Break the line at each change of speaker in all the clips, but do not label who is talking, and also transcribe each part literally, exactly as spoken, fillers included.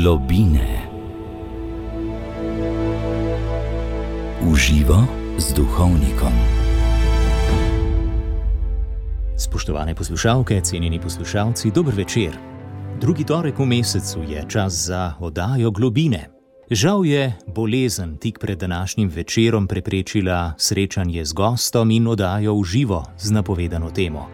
Globine. Uživo z duhovnikom.
Spoštovane poslušalke, cenjeni poslušalci, dober večer. Drugi torek v mesecu je čas za oddajo Globine. Žal je bolezen tik pred današnjim večerom preprečila srečanje z gostom in oddajo v živo z napovedano temo.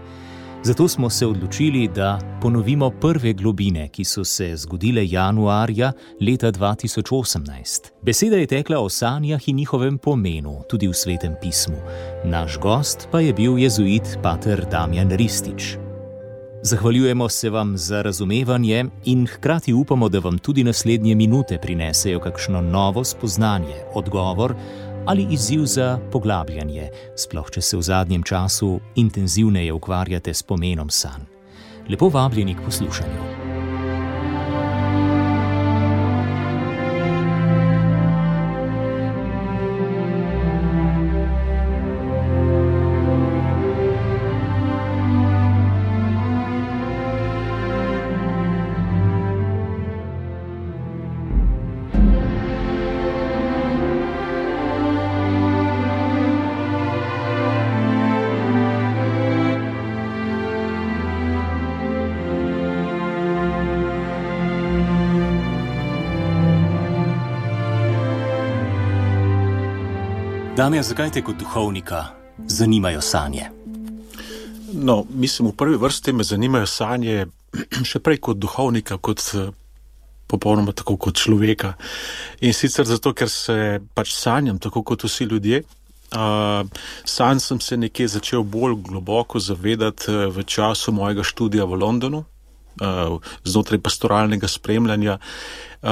Zato smo se odločili, da ponovimo prve globine, ki so se zgodile januarja leta dva tisoč osemnajst. Beseda je tekla o sanjah in njihovem pomenu, tudi v Svetem pismu. Naš gost pa je bil jezuit pater Damjan Ristič. Zahvaljujemo se vam za razumevanje in hkrati upamo, da vam tudi naslednje minute prinesejo kakšno novo spoznanje, odgovor ali izziv za poglabljanje, sploh če se v zadnjem času intenzivneje ukvarjate s pomenom sanj. Lepo vabljeni k poslušanju. Damjan, zakaj te kot duhovnika zanimajo sanje?
No, mislim, v prvi vrsti me zanimajo sanje še prej kot duhovnika, kot popolnoma tako kot človeka. In sicer zato, ker se pač sanjam, tako kot vsi ljudje. Uh, sanj sem se nekje začel bolj globoko zavedati v času mojega študija v Londonu. Uh, znotraj pastoralnega spremljanja uh,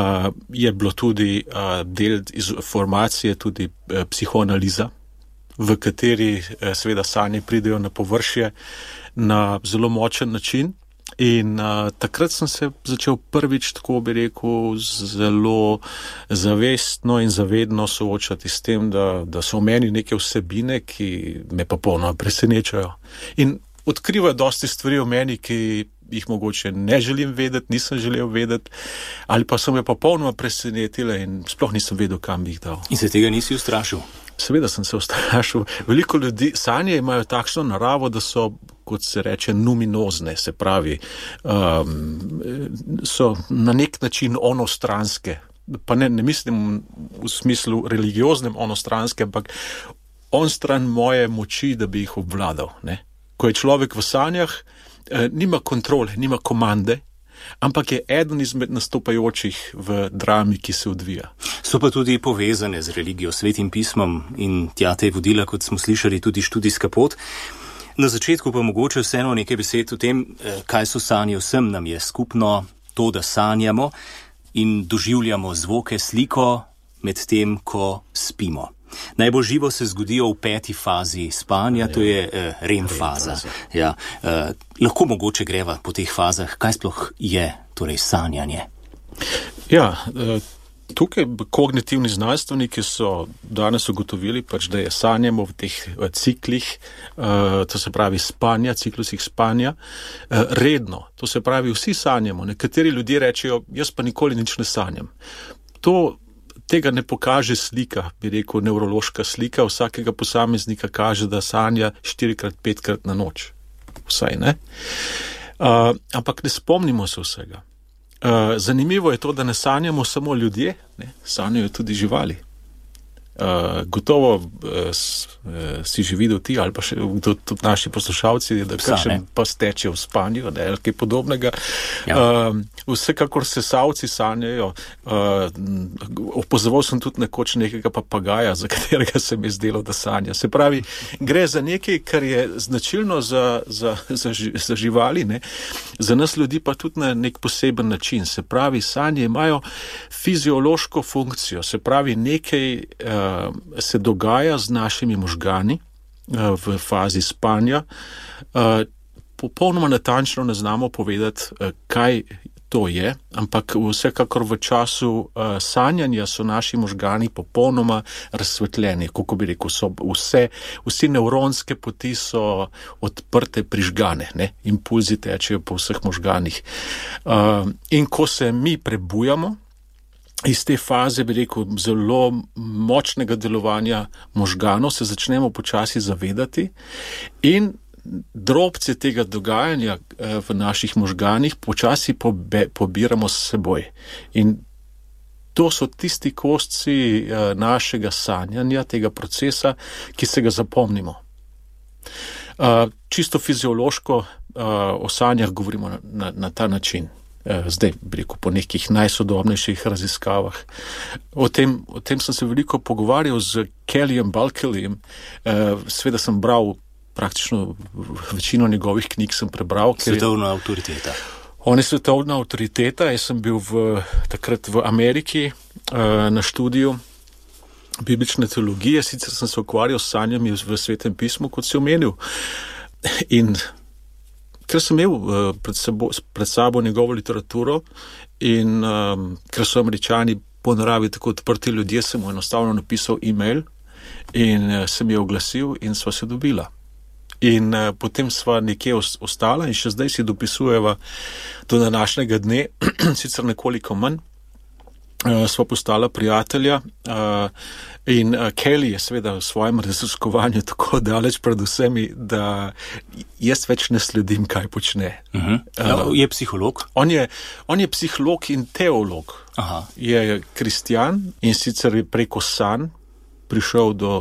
je bilo tudi uh, del iz formacije tudi uh, psihoanaliza, v kateri uh, seveda sanje pridejo na površje na zelo močen način. In uh, takrat sem se začel prvič, tako bi rekel, zelo zavestno in zavedno soočati s tem, da, da so v meni neke vsebine, ki me pa polno presenečajo. In odkrivajo dosti stvari v meni, ki jih mogoče ne želim vedeti, nisem želel vedeti, ali pa so me pa popolnoma presenetile in sploh nisem vedel, kam bi jih dal.
In se tega nisi ustrašil?
Seveda sem se ustrašil. Veliko ljudi, sanje imajo takšno naravo, da so, kot se reče, numinozne, se pravi, um, so na nek način onostranske. Pa ne, ne mislim v smislu religioznem onostranske, ampak onstran moje moči, da bi jih obvladal, ne. Ko je človek v sanjah, nima kontrole, nima komande, ampak je eden izmed nastopajočih v drami, ki se odvija.
So pa tudi povezane z religijo, Svetim pismom in tja te vodila, kot smo slišali, tudi študijska pot. Na začetku pa mogoče vseeno nekaj besed o tem, kaj so sanje. Vsem nam je skupno to, da sanjamo in doživljamo zvoke, sliko med tem, ko spimo. Najbolj živo se zgodijo v peti fazi spanja, to je eh, REM faza. Ja, eh, lahko mogoče greva po teh fazah, kaj sploh je torej sanjanje?
Ja, tukaj kognitivni znanstveniki so danes ugotovili, pač, da je sanjamo v teh ciklih, to se pravi spanja, ciklusih spanja, redno. To se pravi, vsi sanjamo. Nekateri ljudje rečejo, jaz pa nikoli nič ne sanjam. To Tega ne pokaže slika, bi rekel, nevrološka slika vsakega posameznika kaže, da sanja štirikrat, petkrat na noč. Vsaj, ne? Uh, ampak ne spomnimo se vsega. Uh, zanimivo je to, da ne sanjamo samo ljudje, ne? Sanjajo tudi živali. Uh, gotovo uh, s, uh, si že videl ti ali pa še tudi naši poslušalci, da kakšen pa steče v spanju, ne, ali kaj podobnega. Ja. Uh, vsekakor sesavci sanjajo. Uh, opozoval sem tudi nekoč nekega papagaja, za katerega se mi je zdelo, da sanja. Se pravi, gre za nekaj, kar je značilno za, za, za, za živali, ne. Za nas ljudi pa tudi na nek poseben način. Se pravi, sanje imajo fiziološko funkcijo, se pravi, nekaj uh, se dogaja z našimi možgani uh, v fazi spanja. Uh, popolnoma natančno ne znamo povedati, uh, kaj to je, ampak vsekakor v času uh, sanjanja so naši možgani popolnoma razsvetljeni, kako bi rekel, so vse, vsi nevronske poti so odprte, prižgane, ne? Impulzi tečejo po vseh možganih. Uh, in ko se mi prebujamo, iz te faze, bi rekel, zelo močnega delovanja možganov se začnemo počasi zavedati in drobce tega dogajanja v naših možganih počasi pobe, pobiramo s seboj. In to so tisti kosci našega sanjanja, tega procesa, ki se ga zapomnimo. Čisto fiziološko o sanjah govorimo na, na, na ta način. Zdaj, bi rekel, po nekih najsodobnejših raziskavah. O tem, o tem sem se veliko pogovarjal z Kellyjem Bulkeleyjem. Sveda sem bral praktično večino njegovih knjig sem prebral.
Svetovna avtoriteta.
On je svetovna avtoriteta. Jaz sem bil v, takrat v Ameriki na študiju biblične teologije. Sicer sem se ukvarjal s sanjami v Svetem pismu, kot si omenil. In ker sem imel uh, pred, sabo, pred sabo njegovo literaturo in um, ker so Američani po naravi tako odprti ljudje, sem mu enostavno napisal e-mail in uh, sem je oglasil in sva se dobila. In uh, potem sva nekje ostala in še zdaj si dopisujeva do današnjega dne, sicer nekoliko manj, uh, sva postala prijatelja uh, in uh, Kelly je seveda v svojem raziskovanju tako daleč pred vsemi, da jaz več ne sledim, kaj počne.
Uh-huh. Ja, je psiholog?
On je, on je psiholog in teolog.
Aha.
Je kristjan in sicer je preko sanj prišel do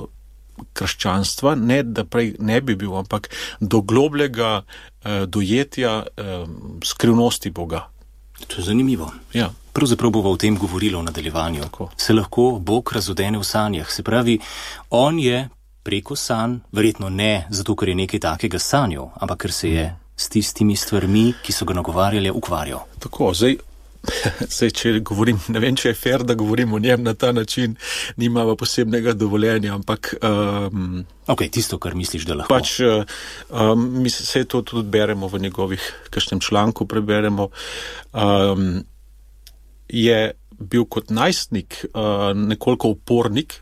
krščanstva, ne da prej ne bi bil, ampak do globlega uh, dojetja uh, skrivnosti Boga.
To je zanimivo.
Ja.
Pravzaprav bova o tem govorila v nadaljevanju.
Tako.
Se lahko Bog razodene v sanjah. Se pravi, on je preko sanj, verjetno ne zato, ker je nekaj takega sanjal, ampak ker se je s tistimi stvarmi, ki so ga nagovarjali, ukvarjal.
Tako, zdaj, zdaj, če govorim, ne vem, če je fair, da govorim o njem na ta način, nimava posebnega dovoljenja, ampak... Um,
ok, tisto, kar misliš, da lahko.
Pač, um, mi se to tudi beremo v njegovih kakšnem članku, preberemo, um, je bil kot najstnik uh, nekoliko upornik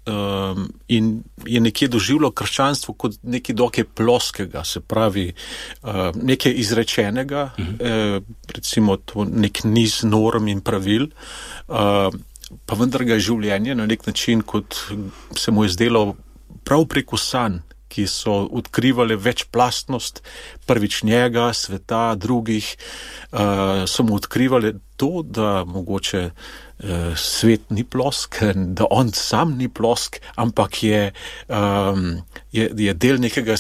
um, in je nekje doživljal krščanstvo kot nekaj dokaj ploskega, se pravi uh, nekaj izrečenega, uh-huh. eh, recimo to nek niz norm in pravil, uh, pa vendar ga je življenje na nek način, kot se mu je zdelo prav preko sanj, ki so odkrivali večplastnost prvič njega, sveta, drugih, uh, so mu odkrivali to, da mogoče uh, svet ni plosk, da on sam ni plosk, ampak je, um, je, je del nekega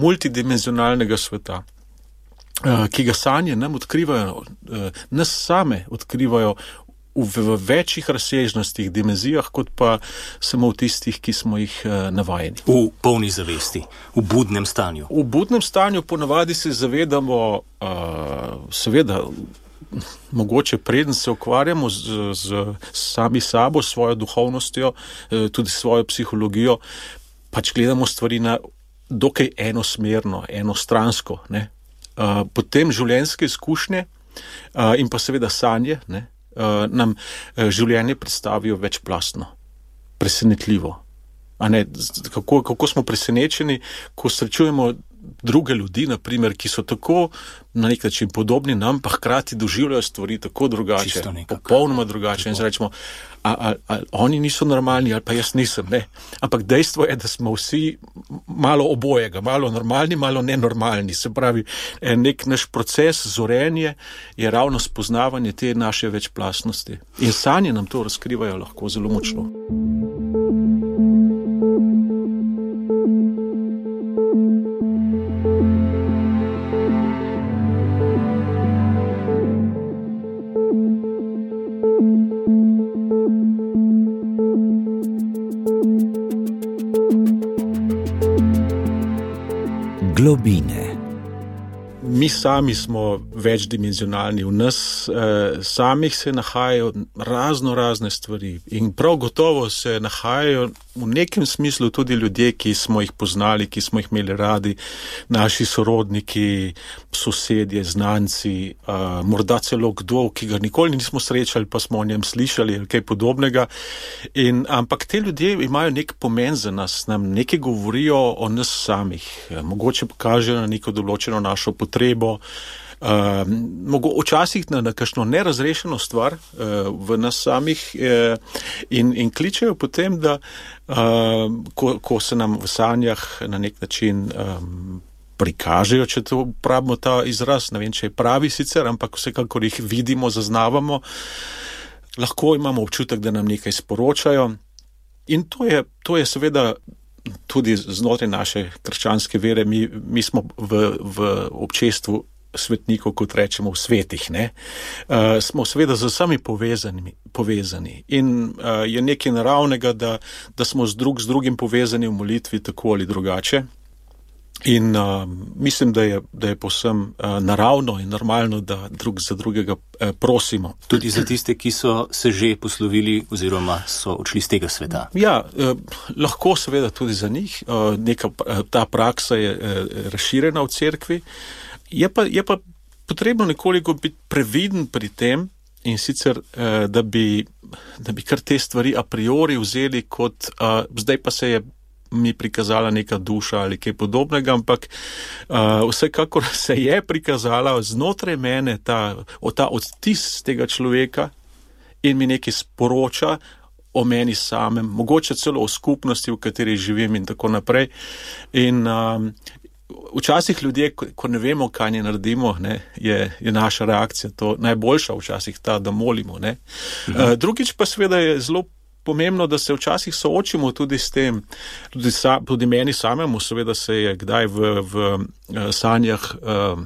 multidimenzionalnega sveta, uh, ki ga sanje nam odkrivajo, uh, nas same odkrivajo v, v večjih razsežnostih, dimenzijah, kot pa samo v tistih, ki smo jih uh, navajeni.
V polni zavesti, v budnem stanju.
V budnem stanju ponavadi se zavedamo, uh, seveda, mogoče preden se ukvarjamo z, z sami sabo, svojo duhovnostjo, uh, tudi svojo psihologijo, pač gledamo stvari na dokaj enosmerno, enostransko. Ne? Uh, potem življenjske izkušnje uh, in pa seveda sanje, ne? Uh, nam uh, življenje predstavijo večplastno, presenetljivo. A ne, kako, kako smo presenečeni, ko srečujemo druge ljudi, naprimer, ki so tako na nek način podobni nam, pa hkrati doživljajo stvari tako drugače, popolnoma drugače. In se rečemo, a, a, a oni niso normalni, ali pa jaz nisem, ne. Ampak dejstvo je, da smo vsi malo obojega, malo normalni, malo nenormalni. Se pravi, nek naš proces zorenje je ravno spoznavanje te naše večplastnosti. In sanje nam to razkrivajo lahko zelo močno.
Globine.
Mi sami smo večdimenzionalni, v nas eh, samih se nahajajo razno razne stvari in prav gotovo se nahajajo v nekem smislu tudi ljudje, ki smo jih poznali, ki smo jih imeli radi, naši sorodniki, sosedje, znanci, eh, morda celo kdo, ki ga nikoli nismo srečali, pa smo o njem slišali ali kaj podobnega. In, ampak te ljudje imajo nek pomen za nas, nam nekaj govorijo o nas samih, mogoče pokažejo na neko določeno našo potrebo, uh, mogo, včasih na, na kakšno nerazrešeno stvar uh, v nas samih uh, in, in kličejo potem, da uh, ko, ko se nam v sanjah na nek način um, prikažejo, če to pravimo ta izraz, ne vem, če je pravi sicer, ampak vsekakor jih vidimo, zaznavamo, lahko imamo občutek, da nam nekaj sporočajo. In to je, to je seveda tudi znotraj naše krščanske vere, mi, mi smo v, v občestvu svetnikov, kot rečemo, v svetih, ne? Uh, smo seveda z vsemi povezani, povezani. In uh, je nekaj naravnega, da, da smo z, drug, z drugim povezani v molitvi tako ali drugače. In uh, mislim, da je, da je povsem uh, naravno in normalno, da drug za drugega uh, prosimo.
Tudi za tiste, ki so se že poslovili oziroma so odšli z tega sveta.
Ja, uh, lahko seveda tudi za njih. Uh, neka, uh, ta praksa je uh, razširjena v cerkvi. Je pa, je pa potrebno nekoliko biti previden pri tem in sicer, uh, da, bi, da bi kar te stvari a priori vzeli kot, uh, zdaj pa se je mi prikazala neka duša ali kaj podobnega, ampak uh, vsekakor se je prikazala znotraj mene ta, ta odtis tega človeka in mi nekaj sporoča o meni samem, mogoče celo o skupnosti, v kateri živim in tako naprej. In um, včasih ljudje, ko, ko ne vemo, kaj ne naredimo, ne, je, je naša reakcija to najboljša, včasih ta, da molimo. Ne. Mhm. Uh, drugič pa seveda je zelo pomembno, da se včasih soočimo tudi s tem, tudi, sa, tudi meni samemu, seveda se je kdaj v, v uh, sanjah uh,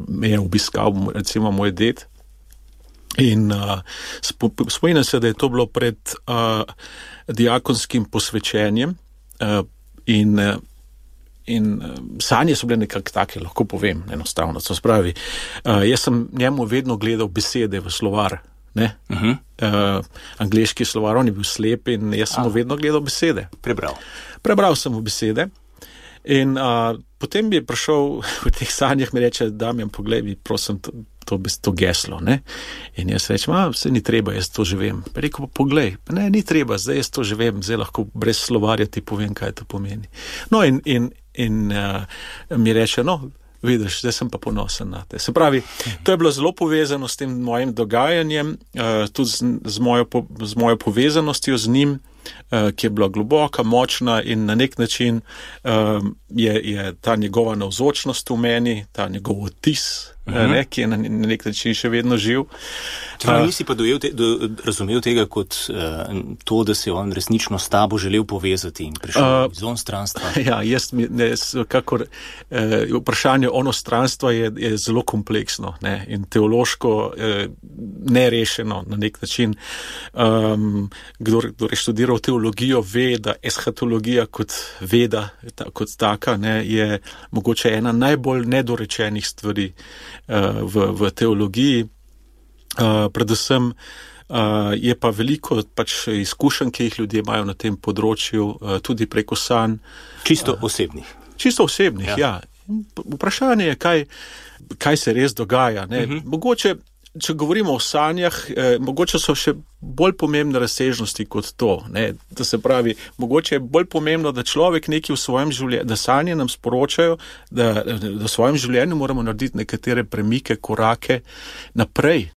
me je obiskal, recimo, moj ded in uh, spomnim se, da je to bilo pred uh, diakonskim posvečenjem uh, in uh, In uh, sanje so bile nekako take, lahko povem, enostavno. To spravi, uh, jaz sem njemu vedno gledal besede v slovar, ne? Uh-huh. Uh, angleški slovar, on je bil slep in jaz sem mu vedno gledal besede.
Prebral.
Prebral sem mu besede in uh, potem bi je prišel v teh sanjah, mi reče, Damjan, poglej mi, prosim, to, to, to geslo, ne? In jaz rečem, a, vse ni treba, jaz to že vem. Pa rekel, pa poglej, pa ne, ni treba, zdaj jaz to že vem, zdaj lahko brez slovarja ti povem, kaj to pomeni. No in, in In uh, mi reče, no, vidiš, zdaj sem pa ponosen na te. Se pravi, to je bilo zelo povezano s tem mojim dogajanjem, uh, tudi z, z, mojo, po, z mojo povezanostjo z njim, uh, ki je bila globoka, močna in na nek način uh, je, je ta njegova navzočnost v meni, ta njegov odtis, uh-huh. ne, ki je na, na nek način še vedno živ.
Čeprav nisi pa dojel te, do, razumel tega kot uh, to, da se je on resnično s tabo želel povezati in prišel uh, iz onstranstva.
Ja, jaz, ne, kakor uh, vprašanje onostranstva je, je zelo kompleksno, ne, in teološko uh, nerešeno na nek način. Um, kdor, kdor je študiral teologijo, ve, da eschatologija kot veda, ta, kot taka, ne, je mogoče ena najbolj nedorečenih stvari uh, v, v teologiji. Uh, predvsem uh, je pa veliko pač izkušenj, ki jih ljudje imajo na tem področju, uh, tudi preko sanj.
Čisto osebnih.
Uh, čisto osebnih, ja. ja. Vprašanje je, kaj, kaj se res dogaja. Ne? Uh-huh. Mogoče, če govorimo o sanjah, eh, mogoče so še bolj pomembne razsežnosti kot to. Ne? Da se pravi, mogoče je bolj pomembno, da človek nekaj v svojem življenju, da sanje nam sporočajo, da, da v svojem življenju moramo narediti nekatere premike, korake naprej.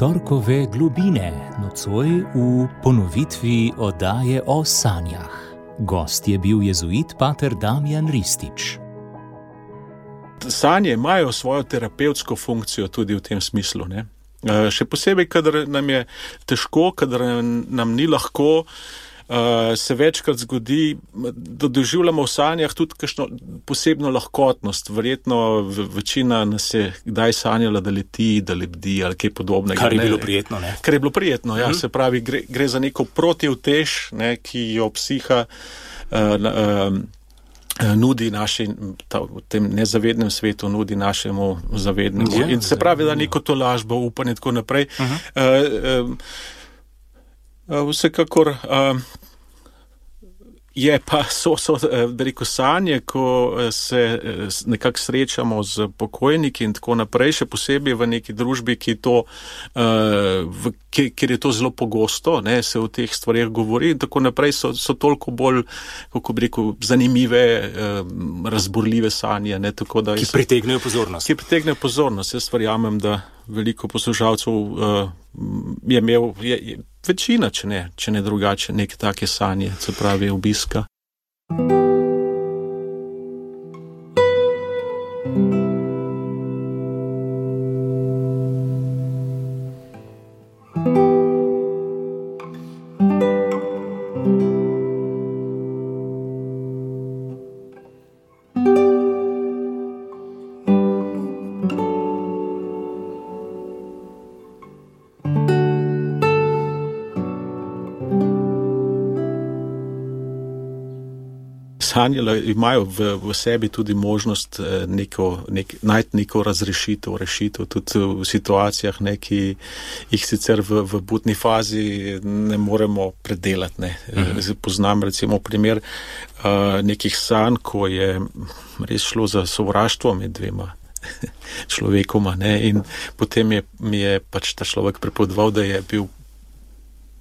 Torkove globine, nocoj v ponovitvi oddaje o sanjah. Gost je bil jezuit pater Damjan Ristič.
Sanje imajo svojo terapevtsko funkcijo tudi v tem smislu. Ne? Še posebej, kadar nam je težko, kadar nam ni lahko, uh, se večkrat zgodi, da doživljamo v sanjah tudi kakšno posebno lahkotnost. Verjetno večina nas je kdaj sanjala, da leti, da lebdi ali kaj podobnega.
Kar je
ne,
bilo prijetno, ne?
Kar je bilo prijetno, ja. Mm-hmm. Se pravi, gre, gre za neko protivtež, ne, ki jo psiha uh, uh, nudi naši, ta, v tem nezavednem svetu nudi našemu zavednemu.
Ja,
in se pravi, da neko tolažbo, upanje in tako naprej. Uh-huh. Uh, uh, vsekakor uh, je pa so, so da rekel, sanje, ko se nekako srečamo z pokojniki in tako naprej, še posebej v neki družbi, ki to, uh, v, kjer je to zelo pogosto, ne, se o teh stvarih govori in tako naprej, so, so toliko bolj, kako bi rekel, zanimive, uh, razburljive sanje. Ne, tako da
ki pritegnejo pozornost.
Ki pritegnejo pozornost. Jaz verjamem, da veliko poslušalcev uh, je imel, je, je, večina, če ne, če ne drugače, neke take sanje, se pravi obiska. Sanje imajo v, v sebi tudi možnost neko, nek, najti neko razrešitev, rešitev tudi v situacijah, ne, ki jih sicer v, v budni fazi ne moremo predelati. Ne. Mhm. Poznam recimo primer uh, nekih sanj, ko je res šlo za sovraštvo med dvema človekoma, ne, in potem je, mi je pač ta človek pripovedoval, da je bil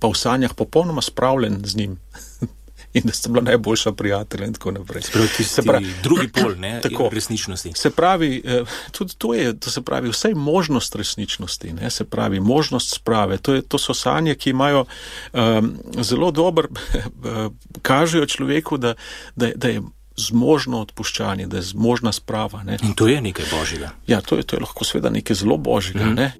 pa v sanjah popolnoma spravljen z njim. In da sta bila najboljša prijatelja in tako naprej.
Spravi, se pravi, drugi pol, ne, tako, resničnosti.
Se pravi, tudi to je, to se pravi, vsaj možnost resničnosti, ne, se pravi, možnost sprave. To, je, to so sanje, ki imajo um, zelo dober, kažejo človeku, da, da, da je zmožno odpuščanje, da je zmožna sprava. Ne.
In to je nekaj božjega.
Ja, to je, to je lahko seveda nekaj zelo božjega, mm. ne.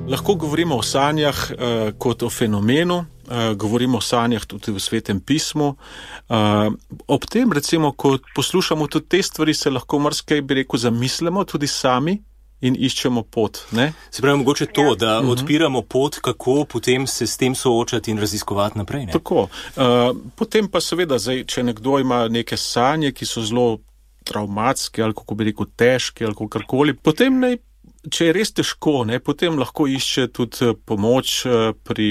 Lahko govorimo o sanjah uh, kot o fenomenu, uh, govorimo o sanjah tudi v Svetem pismu. Uh, ob tem, recimo, ko poslušamo tudi te stvari, se lahko marsikaj, bi rekel, zamislimo tudi sami in iščemo pot. Ne?
Se pravi, mogoče to, da uh-huh. odpiramo pot, kako potem se s tem soočati in raziskovati naprej. Ne?
Tako. Uh, potem pa seveda, zdaj, če nekdo ima neke sanje, ki so zelo travmatske ali kako bi rekel težke ali kakorkoli, potem naj če je res težko, ne, potem lahko išče tudi pomoč pri,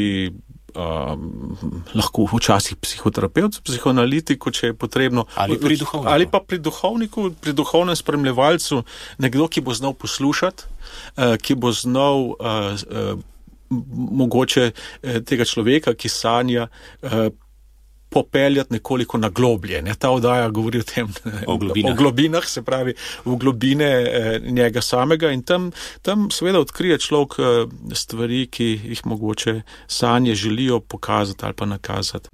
um, lahko včasih psihoterapevtu, psihoanalitiku, če je potrebno.
Ali pri duhovniku.
Ali pa pri duhovniku, pri duhovnem spremljevalcu, nekdo, ki bo znal poslušati, uh, ki bo znal uh, uh, mogoče uh, tega človeka, ki sanja, uh, popeljati nekoliko na globlje. Ne? Ta oddaja govori o tem,
o globinah.
o globinah, se pravi v globine eh, njega samega in tam, tam seveda odkrije človek eh, stvari, ki jih mogoče sanje želijo pokazati ali pa nakazati.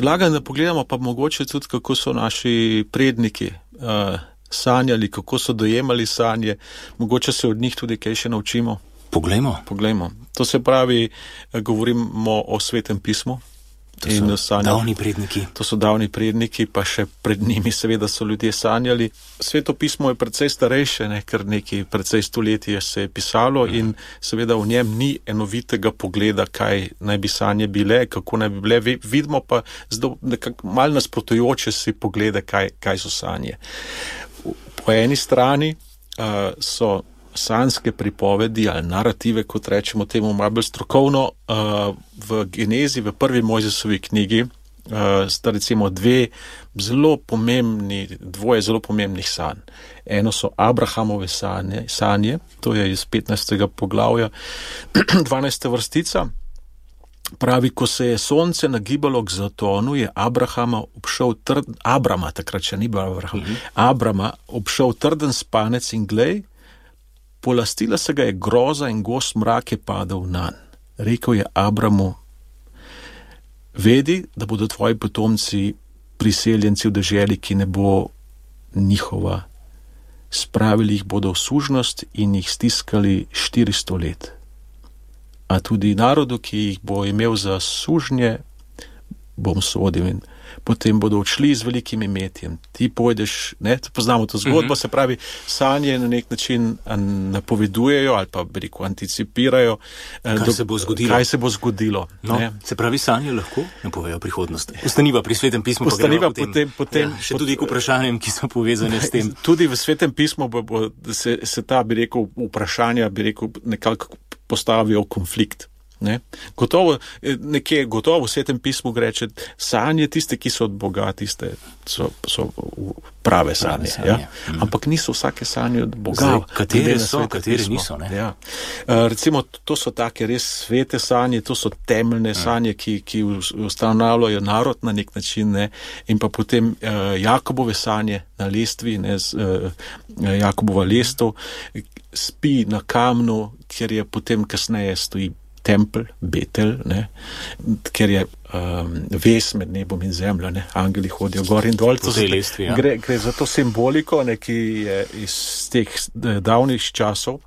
predlagam, da pogledamo pa mogoče tudi, kako so naši predniki uh, sanjali, kako so dojemali sanje, mogoče se od njih tudi kaj še naučimo.
Poglejmo.
Poglejmo. To se pravi, govorimo o Svetem pismu.
To so sanjali, davni predniki.
To so davni predniki, pa še pred njimi seveda so ljudje sanjali. Sveto pismo je precej starejše, ne, ker nekaj precej stoletij se je pisalo mm. in seveda v njem ni enovitega pogleda, kaj naj bi sanje bile, kako naj bi bile. Vidimo pa zelo malo nasprotujoče si poglede, kaj, kaj so sanje. Po eni strani uh, so sanjske pripovedi ali narative, kot rečemo temu malo bolj strokovno, uh, v Genezi, v prvi Mojzesovi knjigi, uh, sta recimo dve zelo pomembni, dvoje zelo pomembnih sanj. Eno so Abrahamove sanje, sanje, to je iz petnajstega poglavja, dvanajsta vrstica. Pravi, ko se je sonce nagibalo k zatonu, je Abrahama obšel trden, Abrama, takrat še ni bil Abraham, mm-hmm. Abrama obšel trden spanec in glej, polastila se ga je groza in gost mrak je padal nanj. Rekel je Abramu, vedi, da bodo tvoji potomci priseljenci v deželi, ki ne bo njihova. Spravili jih bodo v sužnost in jih stiskali štiristo let. A tudi narodu, ki jih bo imel za sužnje, bom sodil in potem bodo odšli z velikim imetjem. Ti pojdeš, ne, poznamo to zgodbo, mm-hmm. se pravi, sanje na nek način napovedujejo ali pa, bi rekel, anticipirajo,
kaj,
do,
se, bo
kaj se bo zgodilo.
No, se pravi, sanje lahko napovejo prihodnost. Ostaniva pri Svetem pismu,
Ostaniva
pa potem,
potem, potem
ja, še tudi k vprašanjem, ki so povezane s tem.
Tudi v Svetem pismu bo, bo, se, se ta, bi rekel, vprašanja, bi rekel, nekako postavijo konflikt. Ne? Gotovo, nekje gotovo v Svetem pismu greče, sanje tiste, ki so od Boga, tiste so, so prave sanje. Prave sanje. Ja? Mm. Ampak niso vsake sanje od Boga.
Zdaj, katere so, katere niso. Ne?
Ja. Uh, recimo, to so take res svete sanje, to so temeljne mm. sanje, ki, ki ustanavljajo narod na nek način, ne? In pa potem uh, Jakobove sanje na lestvi, ne? Z, uh, Jakobova lestev, spi na kamnu, kjer je potem kasneje stoji tempelj, Betel, ne, ker je um, vez med nebom in zemljo, ne, angeli hodijo gor in dol.
Lestvi, ja.
gre, gre za to simboliko, ne, ki je iz teh davnih časov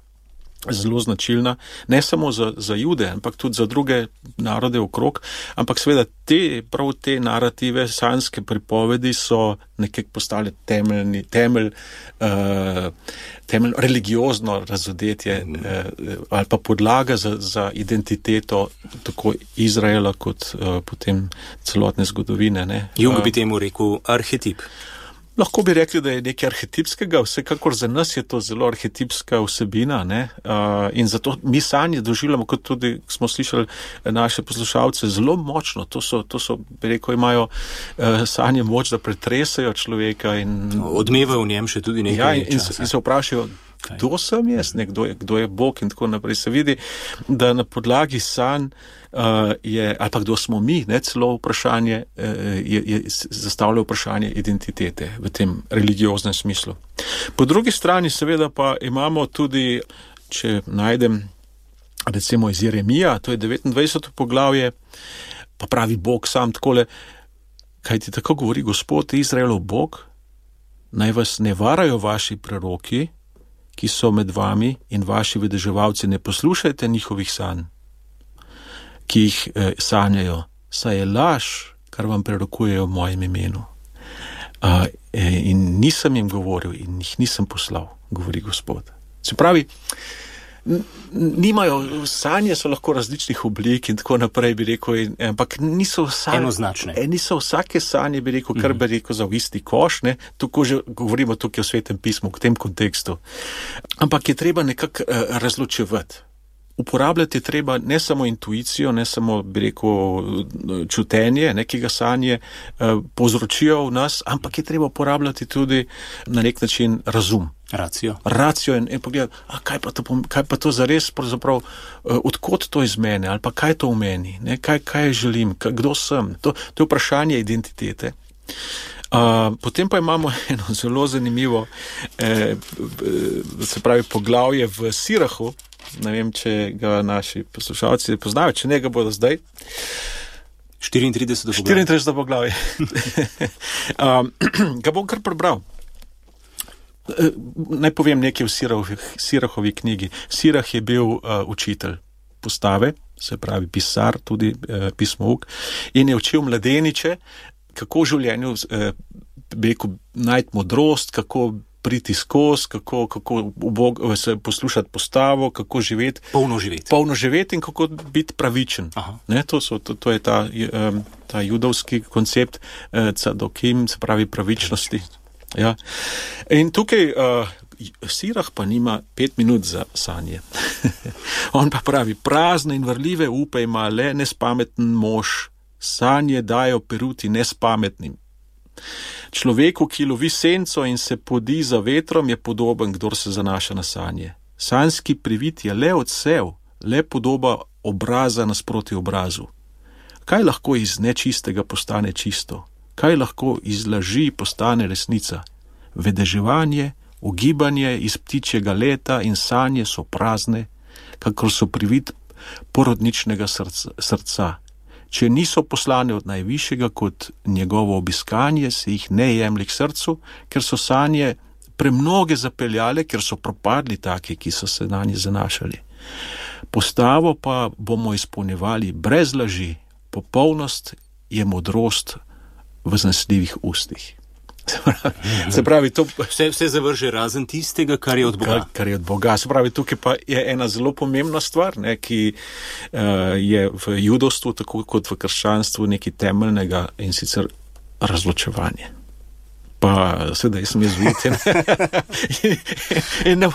zelo značilna, ne samo za, za Jude, ampak tudi za druge narode okrog, ampak seveda te, prav te narative, sanjske pripovedi so nekako postale temeljni, temelj, uh, temelj religiozno razodetje mm. uh, ali pa podlaga za, za identiteto tako Izraela kot uh, potem celotne zgodovine. Ne.
Jung bi temu rekel arhetip.
Lahko bi rekli, da je nekaj arhetipskega, vsekakor za nas je to zelo arhetipska vsebina, ne? Uh, in zato mi sanje doživljamo, kot tudi smo slišali naše poslušalce, zelo močno. To so, to so bi rekel, imajo uh, sanje moč, da pretresajo človeka. In
odmeva v njem še tudi nekaj
ja, in,
časa.
In se vprašajo, kdo sem jaz, ne, kdo, je, kdo je Bog in tako naprej. Se vidi, da na podlagi sanj uh, je, ali pa kdo smo mi, ne, celo vprašanje, uh, je, je zastavlja vprašanje identitete v tem religioznem smislu. Po drugi strani seveda pa imamo tudi, če najdem recimo iz Jeremija, to je devetindvajseto poglavje, pa pravi Bog sam takole, kaj ti tako govori Gospod Izraelov Bog, naj vas ne varajo vaši preroki, ki so med vami in vaši vedeževalci, ne poslušajte njihovih sanj, ki jih eh, sanjajo, saj je laž, kar vam prerokujejo v mojem imenu. Uh, in nisem jim govoril in jih nisem poslal, govori Gospod. Se pravi, nimajo, sanje so lahko različnih oblik in tako naprej, bi rekel, in, ampak niso sanje,
enoznačne.
Niso vsake sanje, bi rekel, kar bi rekel za v isti koš, ne, tako že govorimo tukaj o Svetem pismu, v tem kontekstu. Ampak je treba nekako uh, razločevati. Uporabljati je treba ne samo intuicijo, ne samo, bi rekel, čutenje, ne, ki ga sanje eh, povzročijo v nas, ampak je treba uporabljati tudi na nek način razum.
Racijo.
Racijo in, in pogledati, a kaj pa to, kaj pa to zares, pravzaprav, eh, odkot to iz mene, ali pa kaj to v meni, ne, kaj, kaj želim, kaj, kdo sem. To, to je vprašanje identitete. Uh, potem pa imamo eno zelo zanimivo, eh, se pravi, poglavje v Sirahu. Ne vem, če ga naši poslušalci poznajo, če ne ga bodo zdaj.
štiriintrideseto poglavje.
štiriintrideseto poglavje. um, ga bom kar prebral. Naj povem nekaj v Sirahovi, Sirahovi knjigi. Sirah je bil uh, učitelj postave, se pravi pisar, tudi uh, pismouk, in je učil mladeniče, kako v življenju uh, beku, najti modrost, kako priti skozi, kako, kako ubog, se poslušati postavo, kako živeti.
Polno živeti.
Polno živeti in kako biti pravičen. Ne, to, so, to, to je ta, um, ta judovski koncept uh, cadokim, se pravi pravičnosti. Ja. In tukaj uh, Sirah pa nima pet minut za sanje. On pa pravi, prazne in vrljive upe ima le nespameten mož, sanje dajo peruti nespametnim. Človeku, ki lovi senco in se podi za vetrom, je podoben, kdor se zanaša na sanje. Sanjski privid je le odsev, le podoba obraza nasproti obrazu. Kaj lahko iz nečistega postane čisto? Kaj lahko iz laži postane resnica? Vedeževanje, ugibanje iz ptičjega leta in sanje so prazne, kakor so privid porodničnega srca. srca. Če niso poslane od najvišjega kot njegovo obiskanje, se jih ne jemlji k srcu, ker so sanje premnoge zapeljale, ker so propadli taki, ki so se na nje zanašali. Postavo pa bomo izpolnjevali brez laži, popolnost je modrost v zanesljivih ustih. Se pravi, to
vse, vse zavrže razen tistega, kar je od Boga.
Kar, kar je od Boga. Se pravi, tukaj pa je ena zelo pomembna stvar, ne, ki uh, je v judovstvu, tako kot v krščanstvu, nekaj temeljnega, in sicer razločevanje. Pa sedaj sem jezuit in, in, in ne,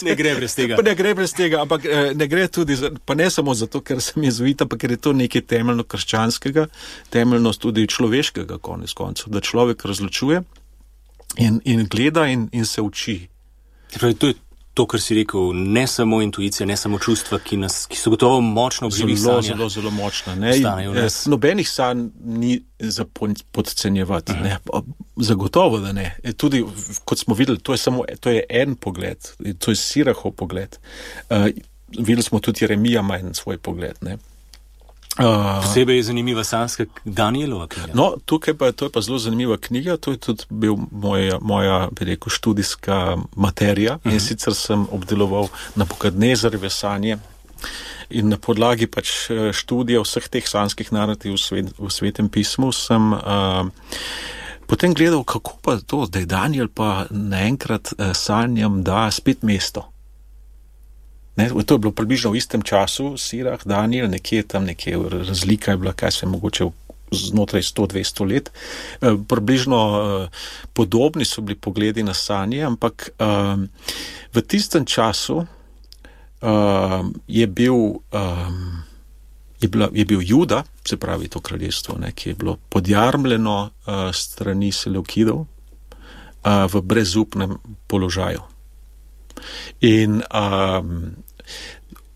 ne gre brez tega.
Pa ne gre brez tega, ampak ne gre tudi, za, pa ne samo zato, ker sem jezuit, ampak ker je to nekaj temeljno krščanskega, temeljno tudi človeškega konec koncev, da človek razločuje in, in gleda in, in se uči.
Pravi, to je to, kar si rekel, ne samo intuicija, ne samo čustva, ki, nas, ki so gotovo močno v živih
sanjah.
Zelo,
zelo, zelo močna. Ne? In, nobenih sanj ni za podcenjevati. Uh-huh. Ne? Zagotovo, da ne. E, tudi, kot smo videli, to je samo to je en pogled. To je Sirahov pogled. Uh, videli smo tudi Jeremija ima en svoj pogled. Ne?
Uh, Posebej je zanimiva sanjska Danielova knjiga.
No, tukaj pa to je pa zelo zanimiva knjiga, to je tudi bil moja, moja bi rekel, študijska materija. Uh-huh. In sicer sem obdeloval Nabukadnezarjeve sanje in na podlagi pač študija vseh teh sanjskih narativ v, svet, v Svetem pismu sem uh, potem gledal, kako pa to, da je Daniel pa naenkrat uh, sanjam da spet mesto. Ne, to je bilo približno v istem času, Sirah, Daniel, nekje tam, nekje razlika je bila, kaj se je mogoče znotraj sto do dvesto let. E, približno e, podobni so bili pogledi na sanje, ampak e, v tistem času e, je, bil, e, je, bila, je bil Juda, se pravi to kraljestvo, ne, ki je bilo podjarmljeno e, strani Seleukidov e, v brezupnem položaju. In um,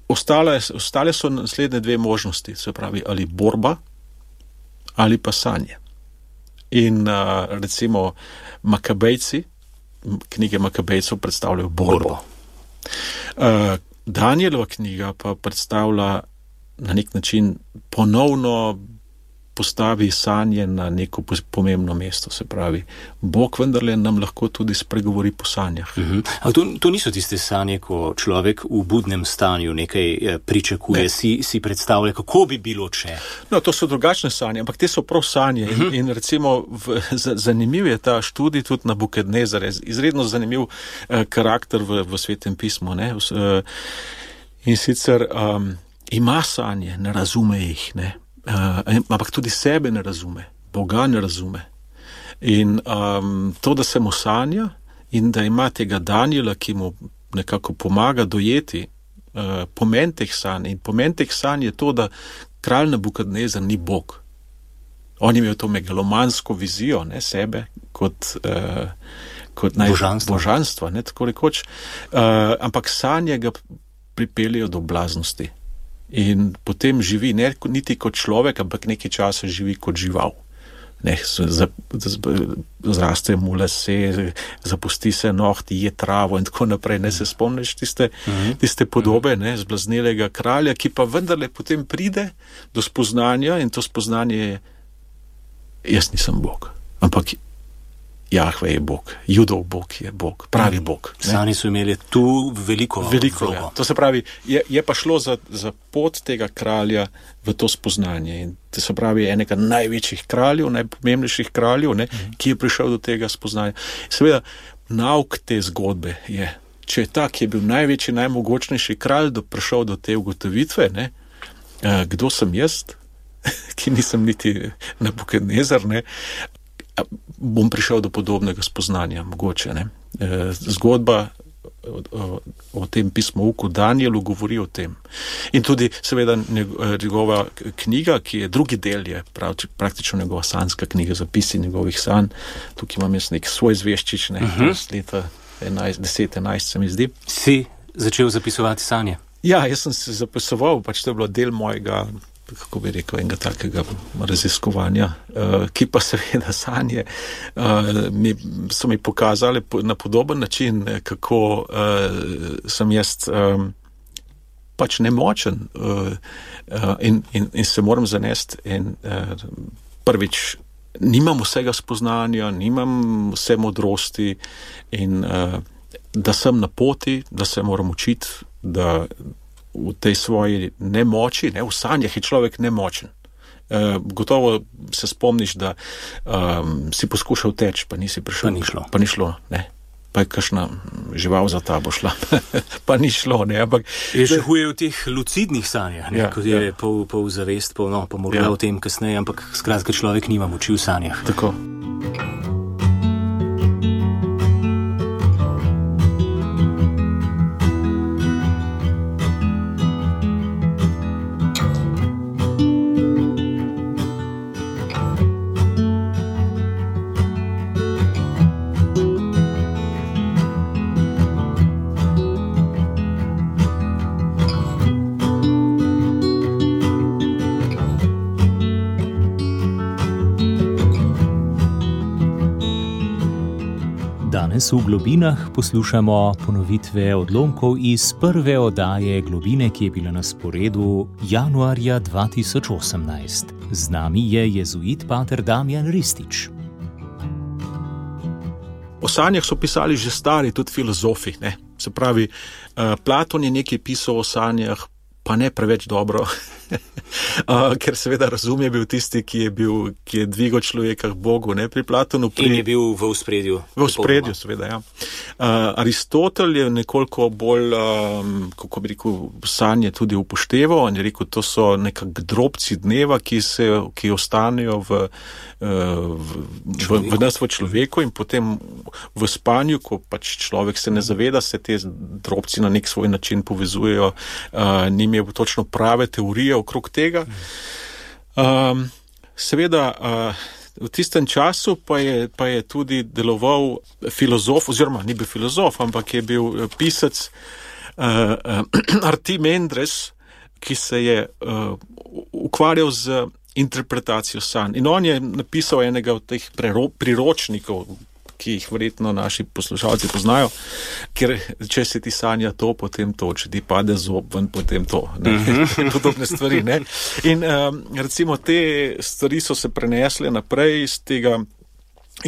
ostale, ostale so naslednje dve možnosti, se pravi ali borba ali pa sanje. In uh, recimo Makabejci, knjige Makabejcev predstavljajo borbo. Uh, Danielova knjiga pa predstavlja na nek način ponovno postavi sanje na neko pomembno mesto, se pravi. Bog vendarle nam lahko tudi spregovori po sanjah.
Uh-huh. Ali to, to niso tiste sanje, ko človek v budnem stanju nekaj pričakuje, ne. si, si predstavlja, kako bi bilo, če?
No, to so drugačne sanje, ampak te so prav sanje. Uh-huh. in, in recimo v, z, zanimiv je ta študij tudi Nabukadnezar, izredno zanimiv eh, karakter v, v Svetem pismu. Ne? Uh, in sicer um, ima sanje, ne razume jih, ne. Uh, ampak tudi sebe ne razume, Boga ne razume. In um, to, da se mu sanja in da ima tega Daniela, ki mu nekako pomaga dojeti uh, pomen teh sanj. In pomen teh sanj je to, da kralj Nabukadnezar ni Bog. On je imel to megalomansko vizijo, ne, sebe kot, uh, kot naj,
božanstva,
božanstva ne, tako rekoč. Uh, ampak sanje ga pripeljejo do blaznosti. In potem živi ne niti kot človek, ampak nekaj časa živi kot žival. ne, zraste mu lase, zapusti se nohti, je travo in tako naprej. Ne se spomniš tiste, tiste podobe, ne, zblaznelega kralja, ki pa vendarle potem pride do spoznanja in to spoznanje je, jaz nisem Bog, ampak Jahve je Bog, Judov Bog je Bog, pravi Bog.
Sani so imeli tu veliko,
veliko ja. To se pravi, je, je pa šlo za, za pot tega kralja v to spoznanje. In to se pravi, enega največjih kraljev, najpomembnejših kraljev, ne, mm. ki je prišel do tega spoznanja. Seveda, nauk te zgodbe je, če je ta, ki je bil največji, najmogočnejši kralj, do prišel do te ugotovitve, ne, kdo sem jaz, ki nisem niti Nabukadnezar, ne, bom prišel do podobnega spoznanja, mogoče. Ne. Zgodba o, o, o tem pismouku Danielu govori o tem. In tudi seveda njegova knjiga, ki je drugi del, je prav, praktično njegova sanjska knjiga, zapisi njegovih sanj. Tukaj imam jaz nek svoj zveščič, ne, uh-huh. z leta deset enajst se mi zdi.
Si začel zapisovati sanje?
Ja, jaz sem se zapisoval, pač to je bilo del mojega, kako bi rekel, enega takega raziskovanja, uh, ki pa seveda sanje uh, mi, so mi pokazali na podoben način, kako uh, sem jaz um, pač nemočen uh, uh, in, in, in se moram zanesti in uh, prvič nimam vsega spoznanja, nimam vse modrosti in uh, da sem na poti, da se moram učiti, da v tej svoji nemoči, ne, v sanjah je človek nemočen. E, gotovo se spomniš, da um, si poskušal teči, pa nisi prišel.
Pa ni šlo.
Pa ni šlo, ne. Pa je kakšna žival za tabo šla. Pa ni šlo, ne. Ampak,
je še huje v teh lucidnih sanjah, ne, ja, ko je ja. pol, pol zavest, pol, no, pa morda ja. o tem kasneje, ampak skratka človek nima moči v sanjah.
Tako.
Danes v Globinah poslušamo ponovitve odlomkov iz prve oddaje Globine, ki je bila na sporedu januarja dva tisoč osemnajst. Z nami je jezuit pater Damjan Ristič.
O sanjah so pisali že stari, tudi filozofi. Ne? Se pravi, Platon je nekaj pisal o sanjah, pa ne preveč dobro, uh, ker seveda razum je bil tisti, ki je bil, ki je dvigal človeka k Bogu, ne, pri Platonu. Pri...
In je bil v ospredju.
V ospredju, seveda, ja. Uh, Aristotel je nekoliko bolj, um, kako bi rekel, sanje tudi upošteval, on je rekel, to so nekak drobci dneva, ki se, ki ostanejo v, uh, v, v, v nas v človeku in potem v spanju, ko pač človek se ne zaveda, se te drobci na nek svoj način povezujejo, uh, njim je točno prave teorije okrog tega. Um, seveda, uh, v tistem času pa je, pa je tudi deloval filozof, oziroma ni bil filozof, ampak je bil pisec uh, uh, Artimandres, ki se je uh, ukvarjal z interpretacijo sanj. In on je napisal enega od teh prero, priročnikov, ki jih verjetno naši poslušalci poznajo, ker če se ti sanja to, potem to, če ti pade zob ven, potem to. Ne? Uh-huh. Podobne stvari. Ne? In um, recimo te stvari so se prenesle naprej iz tega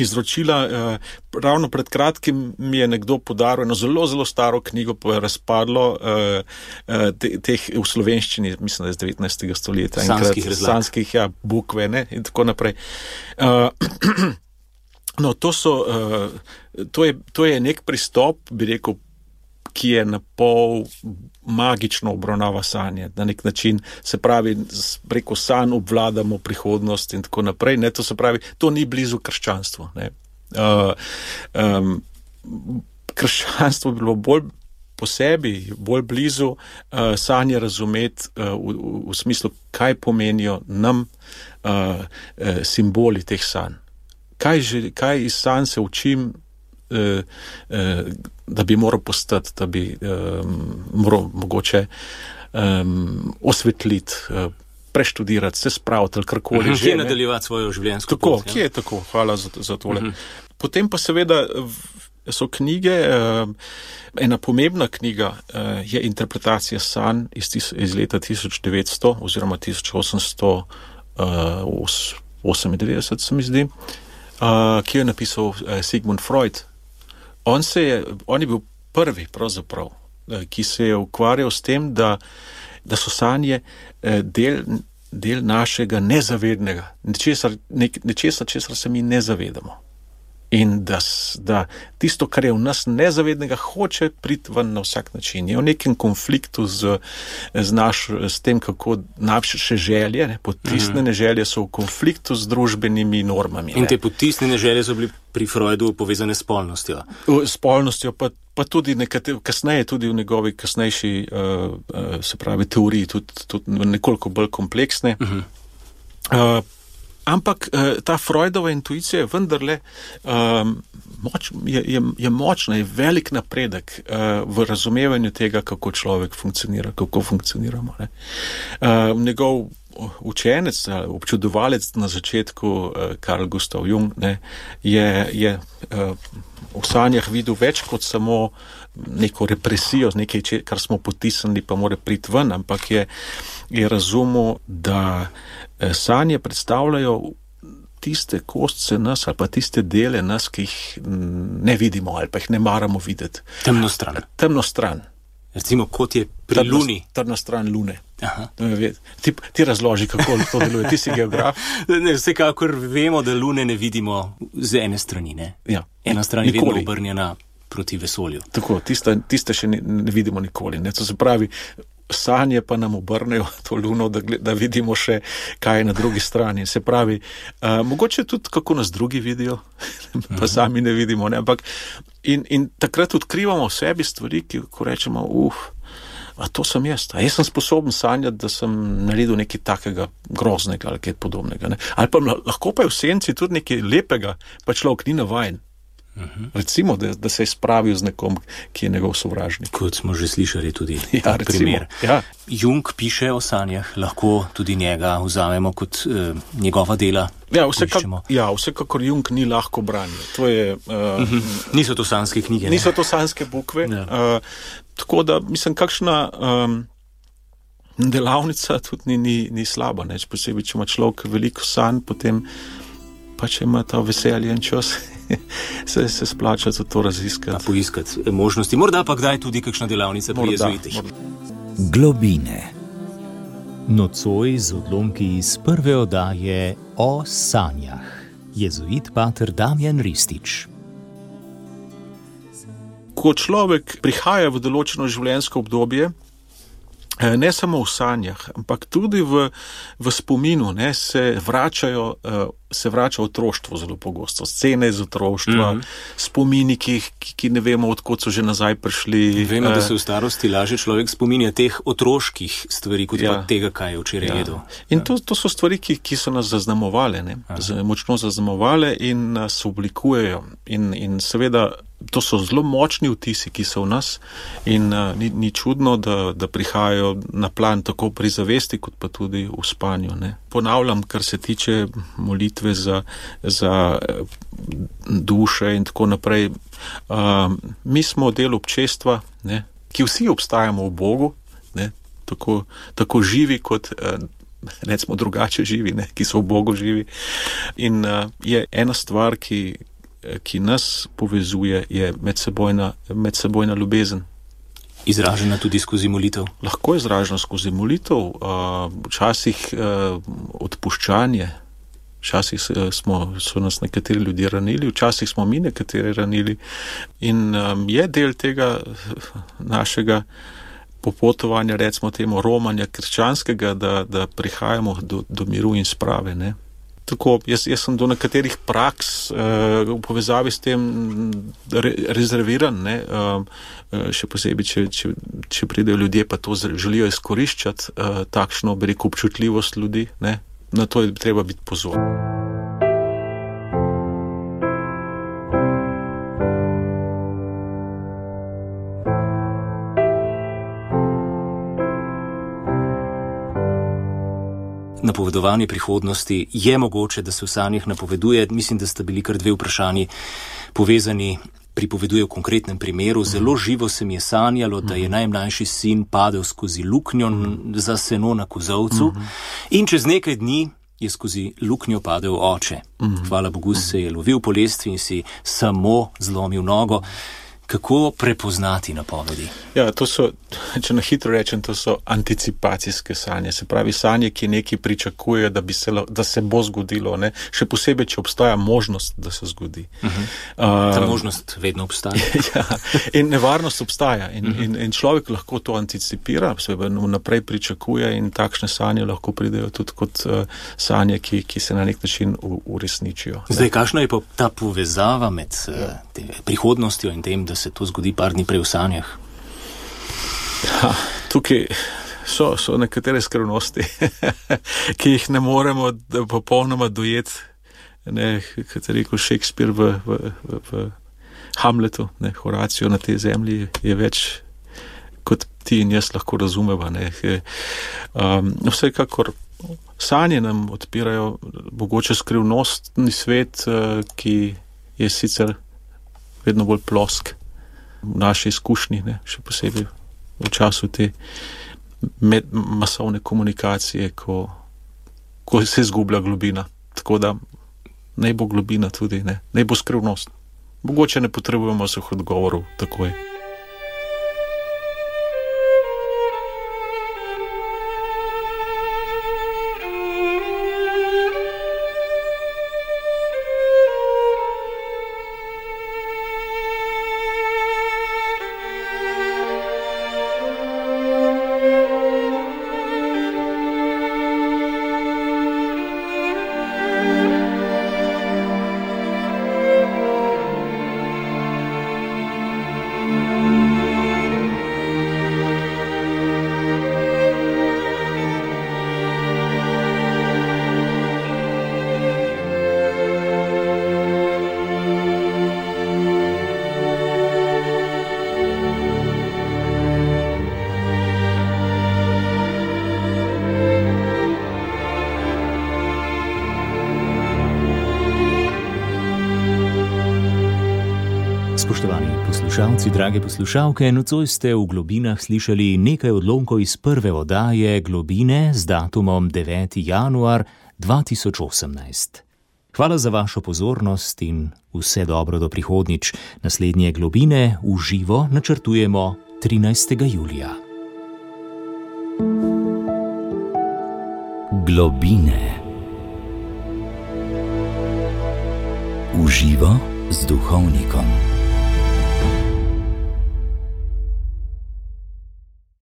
izročila. Uh, ravno pred kratkim mi je nekdo podaril eno zelo, zelo staro knjigo, pa je razpadlo uh, uh, te, teh v slovenščini, mislim, da iz devetnajstega stoletja.
Sanskih razlag.
Sanskih, ja, bukve, ne? In tako naprej. Uh, No, to so, uh, to je, to je nek pristop, bi rekel, ki je na pol magično obravnava sanje. Na nek način, se pravi, preko sanj obvladamo prihodnost in tako naprej. Ne, to se pravi, to ni blizu krščanstvu. Ne. Uh, um, krščanstvo bi bilo bolj po sebi, bolj blizu uh, sanje razumeti uh, v, v, v smislu, kaj pomenijo nam uh, uh, simboli teh sanj. Kaj, že, kaj iz sanj se učim, eh, eh, da bi moral postati, da bi eh, moral mogoče eh, osvetliti, eh, preštudirati, se spraviti ali karkoli.
Kje nadaljevati svojo življenjsko
tako,
pot?
Tako, kje je tako? Hvala za, za tole. Uh-huh. Potem pa seveda so knjige, ena pomembna knjiga je interpretacija sanj iz, iz leta tisoč devetsto oziroma tisoč osemsto osemindevetdeset, se mi zdi, ki jo je napisal Sigmund Freud. On, se je, on je bil prvi, pravzaprav, ki se je ukvarjal s tem, da, da so sanje del, del našega nezavednega, nečesa, ne, nečesa, česar se mi ne zavedamo. In da, da tisto, kar je v nas nezavednega, hoče priti ven na vsak način. Je v nekem konfliktu z, z, naš, s tem, kako naše želje, ne, potisnjene želje so v konfliktu z družbenimi normami.
In te potisnjene želje so bili pri Freudu povezane s spolnostjo.
S spolnostjo, pa, pa tudi nekate, kasneje, tudi v njegovi kasnejši uh, uh, se pravi, teoriji, tudi, tudi nekoliko bolj kompleksne. Uh-huh. Uh, Ampak ta Freudova intuicija je vendarle um, moč, je, je, je močna, je velik napredek uh, v razumevanju tega, kako človek funkcionira, kako funkcioniramo. Ne. Uh, njegov učenec, občudovalec na začetku, uh, Carl Gustav Jung, ne, je, je uh, v sanjah videl več kot samo neko represijo, nekaj, kar smo potisnili, pa mora priti ven, ampak je, je razumel, da sanje predstavljajo tiste kostce nas ali pa tiste dele nas, ki jih ne vidimo ali pa jih ne maramo videti.
Temno stran.
Temno stran.
Recimo, kot je pri
temno,
Luni.
Temna stran Lune.
Aha.
Ti, ti razloži, kako to deluje. Ti si geograf.
Ne, vsekakor vemo, da Lune ne vidimo z ene strani. Ne?
Ja.
Ena stran je
nikoli.
Vedno obrnjena proti vesolju.
Tako, tiste, tiste še ne, ne vidimo nikoli. Ne? To se pravi, sanje pa nam obrnejo to luno, da, da vidimo še, kaj je na drugi strani. Se pravi, uh, mogoče tudi, kako nas drugi vidijo, pa uh-huh. sami ne vidimo. Ne? Ampak in, in takrat odkrivamo v sebi stvari, ki ko rečemo, uf, a to sem jaz. A jaz sem sposoben sanjati, da sem naredil nekaj takega groznega ali kaj podobnega. Ne? Ali pa lahko pa je v senci tudi nekaj lepega, pa človek ni navajen. Uh-huh. Recimo, da, da se je spravil z nekom, ki je njegov sovražnik.
Kot smo že slišali tudi
ja,
primer.
Ja.
Jung piše o sanjah, lahko tudi njega vzamemo kot uh, njegova dela.
Ja, vsekak, ja, vsekakor Jung ni lahko branje. To je, uh,
uh-huh. Niso to sanjske knjige. Ne?
Niso to sanjske bukve. Ja. Uh, tako da, mislim, kakšna um, delavnica tudi ni, ni, ni slaba. Ne? Posebej, če ima človek veliko sanj, potem pa če ima ta veselje in čas, se, se splača za to raziskati.
Pa poiskati možnosti. Morda pa kdaj tudi kakšna delavnica pri jezuitih.
Globine.
Nocoj z odlomki iz prve oddaje o sanjah. Jezuit pater Damjan Ristič.
Ko človek prihaja v določeno življenjsko obdobje, ne samo v sanjah, ampak tudi v, v spominu, ne, se vračajo, se vrača otroštvo zelo pogosto. Scene iz otroštva, mm-hmm. spomini, ki, ki ne vemo, odkot so že nazaj prišli.
Vemo, da se v starosti laže človek spominja teh otroških stvari, kot
ja.
pa tega, kaj je včeraj
ja.
jedel.
In to, to so stvari, ki, ki so nas zaznamovale, ne, močno zaznamovale in nas oblikujejo. In, in seveda, to so zelo močni vtisi, ki so v nas in uh, ni, ni čudno, da, da prihajajo na plan tako pri zavesti, kot pa tudi v spanju. Ne. Ponavljam, kar se tiče molitve za, za duše in tako naprej. Uh, mi smo del občestva, ne, ki vsi obstajamo v Bogu, ne, tako, tako živi kot uh, recimo drugače živi, ne, ki so v Bogu živi. In uh, je ena stvar, ki ki nas povezuje, je medsebojna, medsebojna ljubezen.
Izražena tudi skozi molitev?
Lahko je izražena skozi molitev, včasih odpuščanje, včasih smo, so nas nekateri ljudje ranili, včasih smo mi nekateri ranili in je del tega našega popotovanja, recimo temu romanja krščanskega, da, da prihajamo do, do miru in sprave, ne. Tako, jaz, jaz sem do nekaterih praks uh, v povezavi s tem re, rezerviran, ne, uh, še posebej, če, če, če pridejo ljudje, pa to želijo izkoriščati, uh, takšno, bi rekel, občutljivost ljudi, ne, na to je treba biti pozoren.
napovedovanje prihodnosti, je mogoče, da se v sanjah napoveduje. Mislim, da sta bili kar dve vprašanji povezani, pripoveduje v konkretnem primeru. Zelo živo se mi je sanjalo, da je najmlajši sin padel skozi luknjo za seno na kozovcu in čez nekaj dni je skozi luknjo padel oče. Hvala Bogu, se je lovil po lestvi in si samo zlomil nogo. Kako prepoznati napovedi?
Ja, to so, če na hitro rečem, to so anticipacijske sanje. Se pravi, sanje, ki nekaj pričakuje, da, bi se, da se bo zgodilo. Ne? Še posebej, če obstaja možnost, da se zgodi.
Uh-huh. Uh, Ta možnost vedno obstaja.
Ja, in nevarnost obstaja. In, uh-huh. in, in človek lahko to anticipira, se vnaprej pričakuje in takšne sanje lahko pridejo tudi kot uh, sanje, ki, ki se na nek način u, uresničijo.
Zdaj, kakšna je pa ta povezava med uh, te, prihodnostjo in tem, da se to zgodi par dni prej v sanjah?
Ha, tukaj so, so nekatere skrivnosti, ki jih ne moremo popolnoma dojeti, ne, kot je rekel Shakespeare v, v, v, v Hamletu, ne, Horacio na tej zemlji je več, kot ti in jaz lahko razumeva. Ne. Um, vsekakor sanje nam odpirajo mogoče skrivnostni svet, ki je sicer vedno bolj plosk v naši izkušnji, ne, še posebej v času te med, masovne komunikacije, ko, ko se izgublja globina. Tako da naj bo globina tudi, ne, naj bo skrivnost. Mogoče ne potrebujemo vseh odgovorov takoj.
Spoštovani poslušalci, drage poslušalke, nocoj ste v Globinah slišali nekaj odlomkov iz prve oddaje Globine z datumom deveti januar dva tisoč osemnajst. Hvala za vašo pozornost in vse dobro do prihodnjič. Naslednje Globine v živo načrtujemo trinajstega julija.
Globine. V živo z duhovnikom.